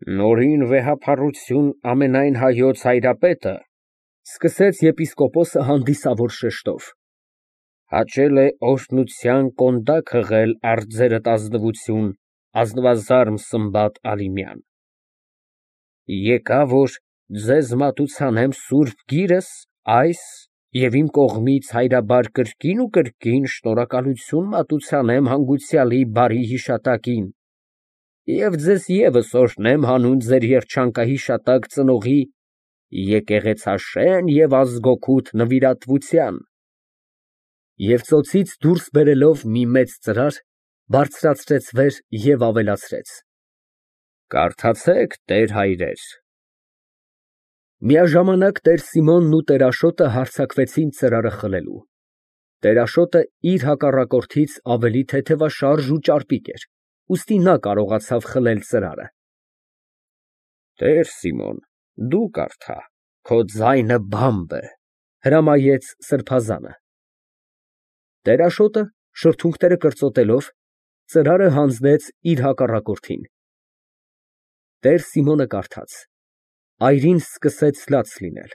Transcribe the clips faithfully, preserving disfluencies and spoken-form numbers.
Նորին վեհափառություն ամենայն Հայոց հայրապետը, ֊ սկսեց եպիսկոպոսը հանդիսավոր շեշտով, ֊ հաճել է օրհնության կոնդակ հղել առ ձերդ ազնվություն, ազնվազարմ Սմբատ Ալիմյան. եկա, որ ձեզ մատուցանեմ սուրբ գիրս, այս և իմ կողմից հայրաբար կրկին ու կրկին շնորհակալություն մատուցանեմ հանգուցյալի բարի հիշատակին և ձեզ ևս օրհնեմ հանուն ձեր երջանկահիշատակ ծնողի եկեղեցաշեն և ազգօգուտ նվիրատվության… Եվ ծոցից դուրս բերելով մի մեծ ծրար, բարձրացրեց վեր և ավելացրեց. Կարդացեք, տեր հայրեր… Միաժամանակ տեր Սիմոնն ու տեր Աշոտը հարձակվեցին ծրարը խլելու. տեր Աշոտը իր հակառակորդից ավելի թեթևաշարժ ու ճարպիկ էր, ուստի նա կարողացավ խլել ծրարը։ Տեր Սիմոն, դու կարդա, քո ձայնը բամբ է, ֊ հրամայեց սրբազանը։ Տեր Աշոտը, շրթունքները կրծոտելով, ծրարը հանձնեց իր հակառակորդին։ Տեր Սիմոնը կարդաց, այրին սկսեց լաց լինել,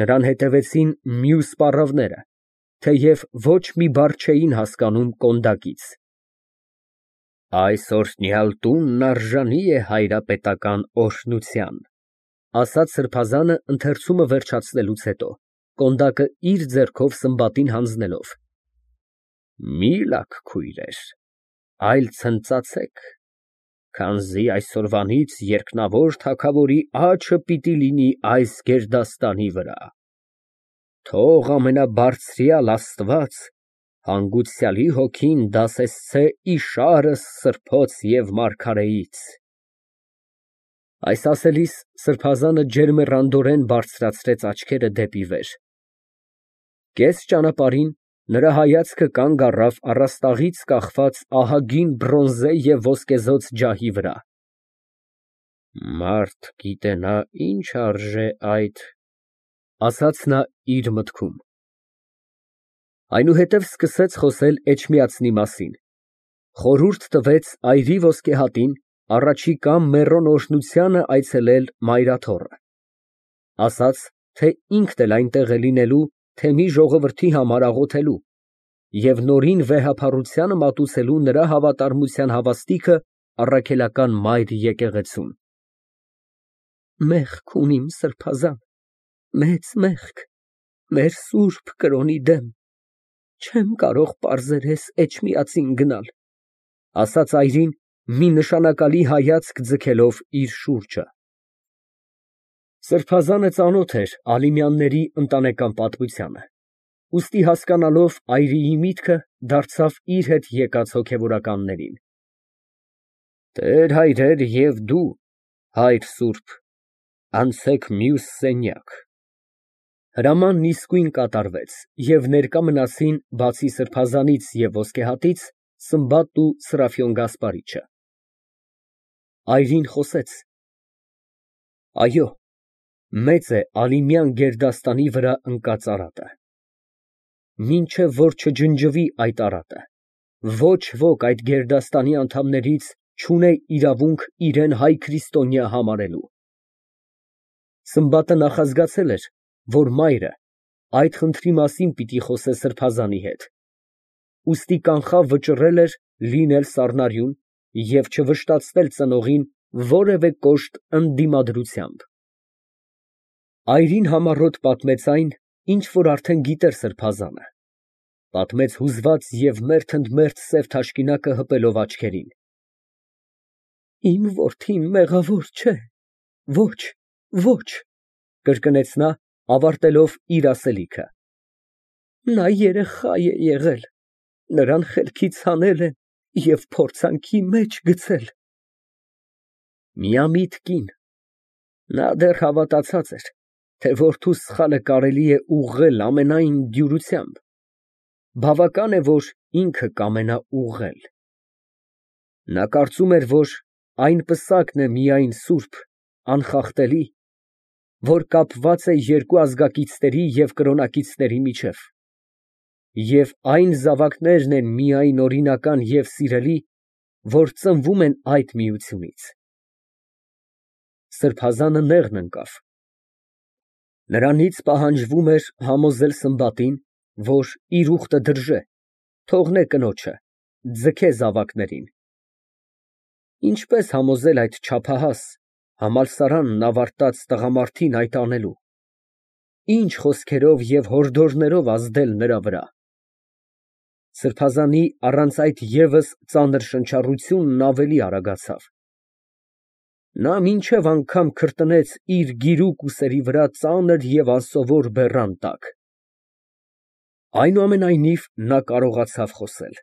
նրան հետևեցին մյուս պառավները, թեև ոչ մի բառ չէին հասկանում կոնդակից։ Այս օրհնյալ տունն արժանի է հայրապետական օրհնության, ֊ ասաց սրբազանը ընթերցումը վերջացնելուց հետո, կոնդակը իր ձեռքով Սմբատին հանձնելով, ֊ մի լաք, քույրեր, այլ ցնծացեք, քանզի այսօրվանից երկնավոր թագավորի աչքը պիտի լինի այս գերդաստանի վրա… Թող ամենաբարձրյալ Աստված հանգուցյալի հոգին դասեսցե իշարս սրբոց և մարգարեից… Այս ասելիս սրբազանը ջերմեռանդորեն բարձրացրեց աչքերը դեպի վեր… Կես ճանապարհին նրա հայացքը կանգ առավ առաստաղից կախված ահագին բրոնզե և ոսկեզօծ ջահի վրա… Մարդ գիտենա ինչ արժե այդ… ասաց նա իր մտքում… Այնուհետև սկսեց խոսել Էջմիածնի մասին, խորհուրդ տվեց այրի ոսկեհատին առաջիկա մեռոն օրհնությանը այցելել Մայրաթոռը, ասաց, թե ինքն էլ այնտեղ է լինելու թեմի ժողովրդի համար աղոթելու և նորին վեհափառությանը մատուցելու նրա հավատարմության հավաստիքը առաքելական մայր եկեղեցուն… Մեղք ունիմ, սրբազան, մեծ մեղք, մեր սուրբ կրոնի դեմ, չեմ կարող պարզերես Էջմիածին գնալ, ֊ ասաց այրին, մի նշանակալի հայացք ձգելով իր շուրջը… Սրբազանը ծանոթ էր Ալիմյանների ընտանեկան պատմությանը, ուստի հասկանալով այրիի միտքը, դարձավ իր հետ եկած հոգևորականներին. Տեր հայրեր և դու, հայր սուրբ, անցեք մյուս սենյակ… Հրամանն իսկույն կատարվեց, և ներկա մնացին, բացի սրբազանից և ոսկեհատից, Սմբատն ու Սրափիոն Գասպարիչը… Այրին խոսեց. Այո, մեծ է Ալիմյան գերդաստանի վրա ընկած արատը… Մինչև որ չջնջվի այդ արատը, ոչ ոք այդ գերդաստանի անդամներից չունե իրավունք իրան հայ քրիստոնյա համարելու… Սմբատը նախազգացել էր, որ մայրը այդ խնդրի մասին պիտի խոսե սրբազանի հետ, ուստի կանխավ վճռել էր լինել սառնարյուն և չվշտացնել ծնողին որևէ կոշտ ընդդիմադրությամբ… Այրին համառոտ պատմեց այն, ինչ որ արդեն գիտեր սրբազանը, պատմեց հուզված և մերթ ընդ մերթ սև թաշկինակը հպելով աչքերին… Իմ որդին մեղավոր չէ, ոչ, ոչ… ֊ կրկնեց նա, ավարտելով իր ասելիքը… Նա երեխա է եղել, նրան խելքից հանել են և փորձանքի մեջ գցել… Միամիտ կին… Նա դեռ հավատացած էր, թե որդու սխալը կարելի է ուղղել ամենայն դյուրությամբ… Բավական է, որ ինքը կամենա ուղղել… Նա կարծում էր, որ այն պսակն է միայն սուրբ, անխախտելի, որ կապված է երկու ազգակիցների և կրոնակիցների միջև, և այն զավակներն են միայն օրինական և սիրելի, որ ծնվում են այդ միությունից… Սրբազանը նեղն ընկավ։ Նրանից պահանջվում էր համոզել Սմբատին, որ իր ուխտը դրժե, թողնե կնոջը, ձգե զավակներին։ Ինչպես համոզել այդ չափահաս, համալսարանն ավարտած տղամարդին այդ անելու, ինչ խոսքերով և հորդորներով ազդել նրա վրա։ Սրբազանի առանց այդ ևս ծանր շնչառությունն ավելի արագացավ։ Նա մինչև անգամ քրտնեց իր գիրուկ ուսերի վրա ծանր և անսովոր բեռան տակ։ Այնուամենայնիվ, նա կարողացավ խոսել։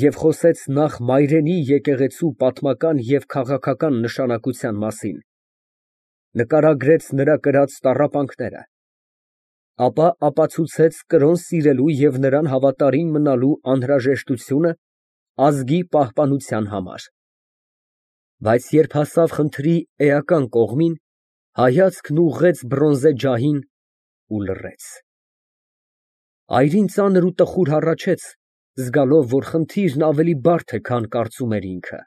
Եվ խոսեց նախ մայրենի եկեղեցու պատմական և քաղաքական նշանակության մասին, նկարագրեց նրա կրած տառապանքները, ապա ապացուցեց կրոն սիրելու և նրան հավատարիմ մնալու անհրաժեշտությունը ազգի պահպանության համար, բայց երբ հասավ խնդրի էական կողմին, հայացքն ուղղեց բրոնզե ջահին ու լռեց։ Այրին ծանր ու տխուր հառաչեց, զգալով, որ խնդիրն ավելի բարդ է, քան կարծում էր ինքը,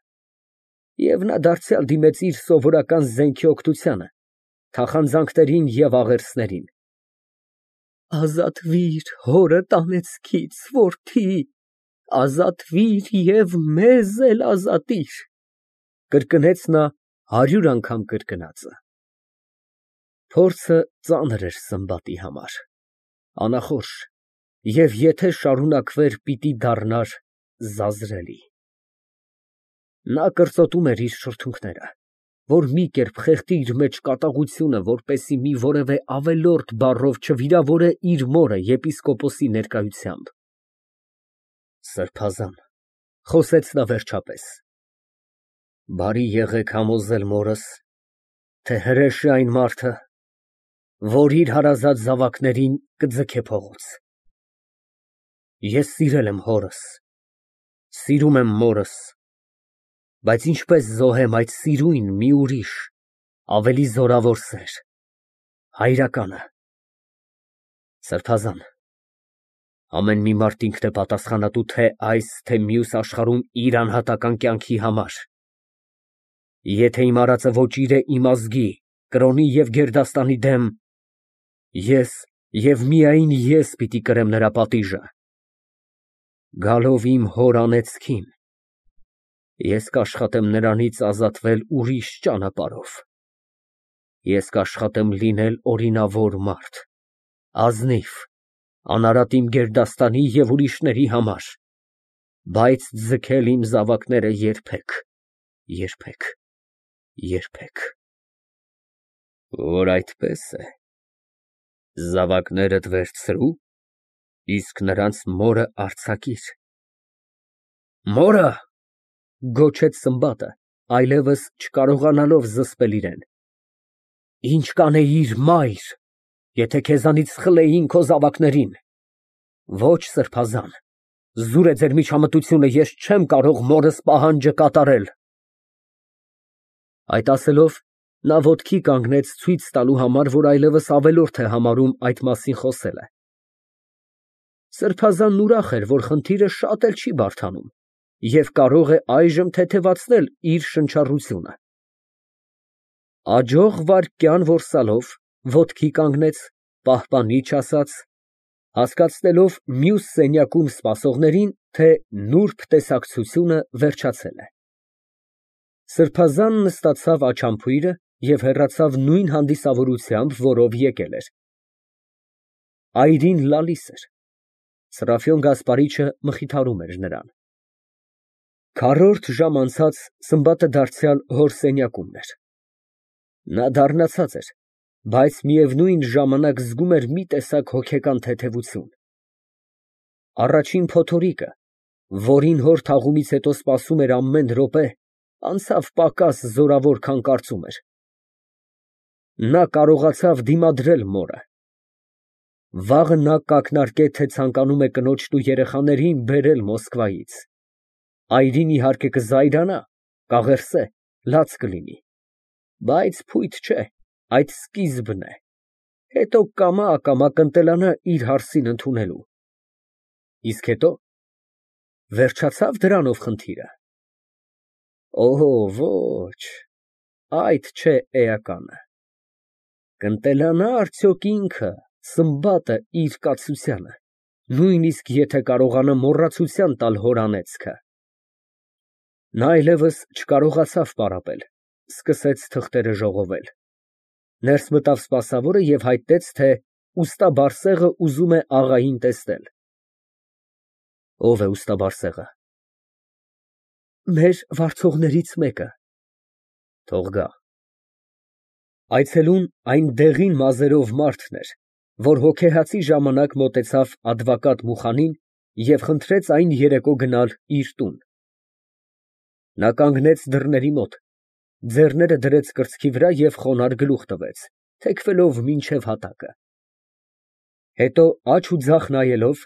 և նա դարձյալ դիմեց իր սովորական զենքի օգնությանը, թախանձանքներին և աղերսներին։ «Ազատվիր հորդ անեծքից, որդի, ազատվիր և մեզ էլ ազատիր», կրկնեց նա հարյուր անգամ կրկնածը։ Փորձը ծանր էր Սմբատի համար, անախորժ, և եթե շարունակվեր, պիտի դառնար զազրելի։ Նա կրծոտում էր իր շրթունքները, որ մի կերպ խեղդի իր մեջ կատաղությունը, որպեսզի մի որևէ ավելորդ բառով չվիրավորե իր մորը եպիսկոպոսի ներկայությամբ։ Սրբազան, խոսեց նա վերջապես, բարի եղեք համոզել մորս, թե հրեշ է այն մարդը, որ իր հարազատ զավակներին կձգե փողոց։ Ես սիրել եմ հորս, սիրում եմ մորս, բայց ինչպես զոհեմ այդ սիրուն մի ուրիշ, ավելի զորավոր սեր, հայրականը։ Սրբազան, ամեն մի մարդ ինքն է պատասխանատու թե այս, թե մյուս աշխարհում իր անհատական կյանքի համար։ Եթե իմ արածը ոճիր է իմ ազգի, կրոնի և գերդաստանի դեմ, ես և միայն ես պիտի կրեմ նրա պատիժը։ Գալով իմ հոր անեծքին, ես կաշխատեմ նրանից ազատվել ուրիշ ճանապարհով։ Ես կաշխատեմ լինել օրինավոր մարդ, ազնիվ, անարատ իմ գերդաստանի և ուրիշների համար, բայց ձգել իմ զավակները երբեք, երբեք, երբեք։ Որ այդպես է, զավակներդ վերցրու, իսկ նրանց մորը արձակիր։ Մորը, գոչեց Սմբատը, այլևս չկարողանալով զսպել իրեն, ինչ կանեիր, մայր, եթե քեզանից խլեին քո զավակներին։ Ոչ, սրբազան, զուր է ձեր միջամտությունը, ես չեմ կարող մորս պահանջը կատարել։ Այդ ասելով, նա ոտքի կանգնեց ցույց տալու համար, որ այլևս ավելորդ է համարում այդ մասին խոսելը։ Սրբազանն ուրախ էր, որ խնդիրը շատ էլ չի բարդանում և կարող է այժմ թեթևացնել իր շնչառությունը։ Աջող վայրկյան որսալով, ոտքի կանգնեց, պահպանիչ ասաց, հասկացնելով մյուս սենյակում սպասողներին, թե նուրբ տեսակցությունը վերջացել է։ Սրբազանն նստացավ աչամփույրը և հեռացավ նույն հանդիսավորությամբ, որով եկել էր։ Այրին լալիս էր։ Սրափիոն Գասպարիչը մխիթարում էր նրան։ Քառորդ ժամ անցած Սմբատը դարձյալ հոր սենյակումն էր։ Նա դառնացած էր, բայց միևնույն ժամանակ զգում էր մի տեսակ հոգեկան թեթևություն։ Առաջին փոթորիկը, որին հոր թաղումից հետո սպասում էր ամեն րոպե, անցավ պակաս զորավոր, քան կարծում էր։ Նա կարողացավ դիմադրել մորը։ Վաղը նա կակնարկե, թե ցանկանում է կնոջն ու երեխաներին բերել Մոսկվայից։ Այրին, իհարկե, կզայրանա, կաղերսե, լաց կլինի, բայց փույթ չէ, այդ սկիզբն է, հետո կամա֊ակամա կընտելանա իր հարսին ընդունելու։ Իսկ հետո, վերջացա՞վ դրանով խնդիրը։ Օհո, ոչ։ այդ չէ էականը։ Կընտելանա արդյոք ինքը, Սմբատը իր կացությանը, նույնիսկ եթե կարողանա մոռացության տալ հոր անեծքը։ Նա այլևս չկարողացավ պարապել, սկսեց թղթերը ժողովել։ Ներս մտավ սպասավորը և հայտնեց, թե ուստա Բարսեղը ուզում է աղային տեսնել։ Ո՞վ է ուստա Բարսեղը։ Մեր վարձողներից մեկը։ Թող գա։ Այցելուն այն դեղին մազերով մարդն էր, որ հոգեհացի ժամանակ մոտեցավադվակատ Մուխանին և խնդրեց այն երեկո գնալ իր տուն։ Նա կանգնեց դռների մոտ, ձեռները դրեց կրծքի վրա և խոնարհ գլուխ տվեց, թեքվելով մինչև հատակը։ Հետո աջ ու ձախ նայելով,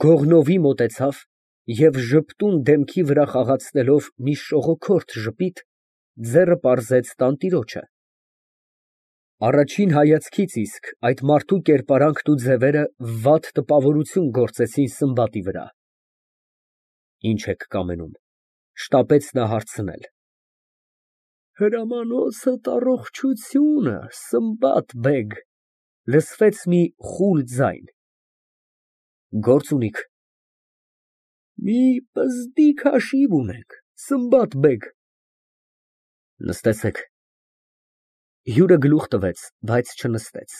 գողնովի մոտեցավ և ժպտուն դեմքի վրա խաղացնելով մի շողոքորթ ժպիտ, ձեռը պարզեց տանտիրոջը։ Առաջին հայացքից իսկ այդ մարդու կերպարանքն ու ձևերը վատ տպավորություն գործեցին Սմբատի վրա։ Ի՞նչ եք կամենում, շտապեց նա հարցնել։ Հրամանոցդ առողջությունը, Սմբատ֊բեգ, լսվեց մի խուլ ձայն։ Գործ ունի՞ք։ Մի պզդիկ հաշիվ ունենք, Սմբատ֊բեգ։ Նստեցեք։ Հյուրը գլուխ տվեց, բայց չնստեց։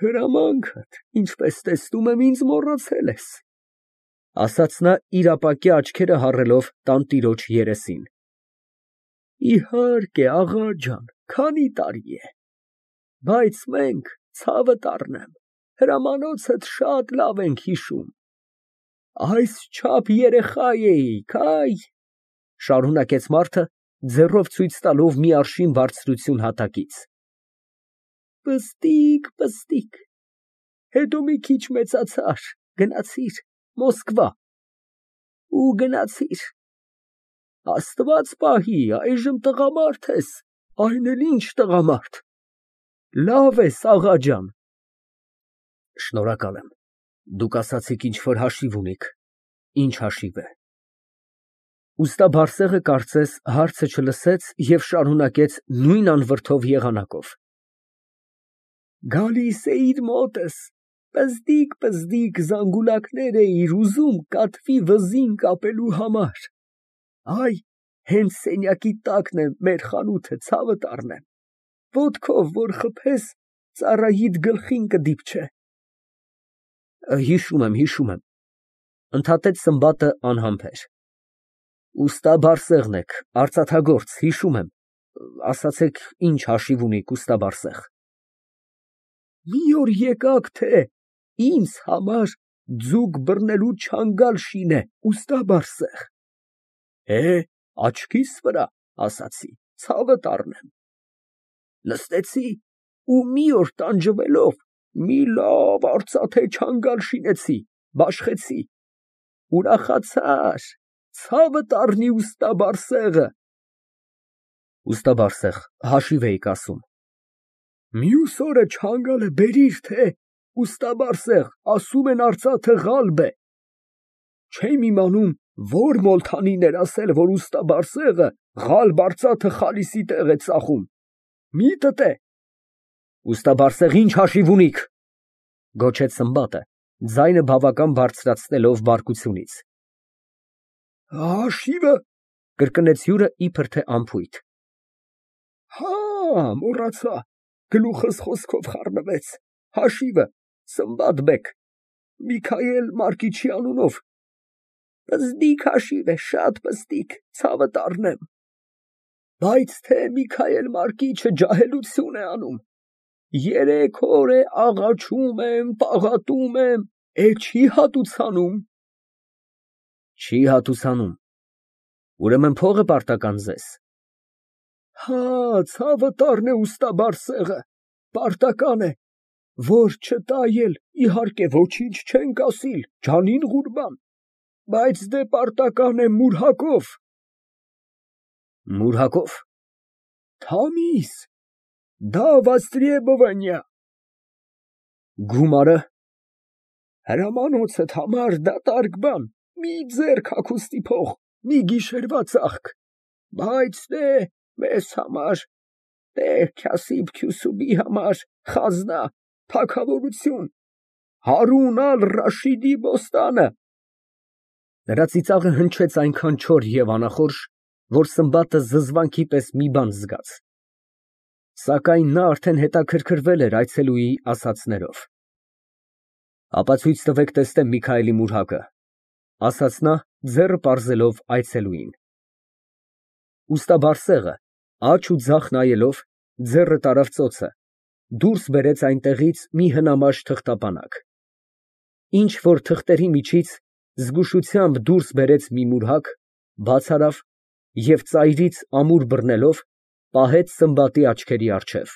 Հրամանքդ, ինչպես տեսնում եմ, ինձ մոռացել ես, ասաց նա իր ապակյա աչքերը հառելով տանտիրոջ երեսին։ Իհարկե, աղա ջան, քանի տարի է, բայց մենք, ցավդ առնեմ, հրամանոցդ շատ լավ ենք հիշում։ Այսչափ երեխա էիք, այ, շարունակեց մարդը, ձեռով ցույց տալով մի արշին բարձրություն հատակից։ Պստիկ, պստիկ, հետո մի քիչ մեծացար, գնացիր Մոսկվա, ու գնացիր, Աստված պահի, այժմ տղամարդ ես, այն էլ ինչ տղամարդ, լավ ես, աղա ջան։ Շնորհակալ եմ, դուք ասացիք ինչ֊որ հաշիվ ունիք, ինչ հաշիվ է։ Ուստա Բարսեղը կարծես հարցը չլսեց և շարունակեց նույն անվրդով եղանակով։ Գալիս էիր մոտս, պզդիկ֊պզդիկ զանգուլակներ էիր ուզում կատվի վզին կապելու համար, այ, հենց սենյակի տակն է մեր խանութը, ցավդ առնեմ, ոտքով որ խփես, ծառայիդ գլխին կդիպչե։ Հիշում եմ, հիշում եմ, ընդհատեց Սմբատը անհամբեր։ Ուստա Բարսեղն եք, արծաթագործ, հիշում եմ, ասացեք ինչ հաշիվ ունիք, ուստա Բարսեղ։ Մի օր եկաք, թե ինձ համար ձուկ բռնելու չանգալ շինե, ուստա Բարսեղ։ Է, աչքիս վրա, ասացի, ցավդ առնեմ։ Նստեցի ու մի օր տանջվելով մի լավ արծաթե չանգալ շինեցի, բաշխեցի, ուրախացար, ցավդ առնի ուստա Բարսեղը։ Ուստա Բարսեղ, հաշիվ էիք ասում։ Մյուս օրը չանգալը բերիր, թե ուստա Բարսեղ, ասում են արծաթը ղալբ է։ Չեմ իմանում, որ մոլթանին էր ասել, որ ուստա Բարսեղը ղալբ արծաթը խալիսի տեղ է ծախում։ Միտդ է։ Ուստա Բարսեղ, ինչ հաշիվ ունիք, գոչեց Սմբատը, ձայնը բավական բարձրացնելով բարկությունից։ Հաշիվը, կրկնեց հյուրը իբր թե անփույթ։ Հա, մոռացա, գլուխս խոսքով խառնվեց, հաշիվը, Սմբատ֊բեգ, Միքայել Մարկիչի անունով, պզդիկ հաշիվ է, շատ պզդիկ, ցավդ առնեմ, բայց թե Միքայել Մարկիչը ջահելություն է անում, երեք օր է աղաչում եմ, պաղատում եմ, է չի հատուցանում։ Չի հատուցանում, ուրեմն փողը պարտական ձեզ։ Հա, ցավդ առնե ուստա Բարսեղը, պարտական է, որ չտա էլ, իհարկե ոչինչ չենք ասիլ, ջանին ղուրբան, բայց դե պարտական է մուրհակով։ Մուրհակով։ Թամիզ, դա վաստրեբովանյա։ Գումարը։ Հրամանոցդ համար դատարկ բան, մի ձեռք հագուստի փող, մի գիշերվա ծախք, բայց դե Մեզ համար, Տեր Քասիբ֊Քյուսուբի համար, խազնա, թագավորություն, Հարուն ալ֊Ռաշիդի բոստանը… Նրա ծիծաղը հնչեց այնքան չոր և անախորժ, որ Սմբատը զզվանքի պես մի բան զգաց… Սակայն նա արդեն հետաքրքրվել էր այցելուի ասածներով։ ֊ Ապա ցույց տվեք տեսնեմ Միքայելի մուրհակը, ֊ ասաց նա, ձեռը պարզելով այցելուին։ Ուստաբարձեղը, աջ ու ձախ նայելով, ձեռը տարավ ծոցը, դուրս բերեց այնտեղից մի հնամաշ թղթապանակ։ Ինչ֊որ թղթերի միջից զգուշությամբ դուրս բերեց մի մուրհակ, բաց արավ և ծայրից ամուր բռնելով, պահեց Սմբատի աչքերի առջև։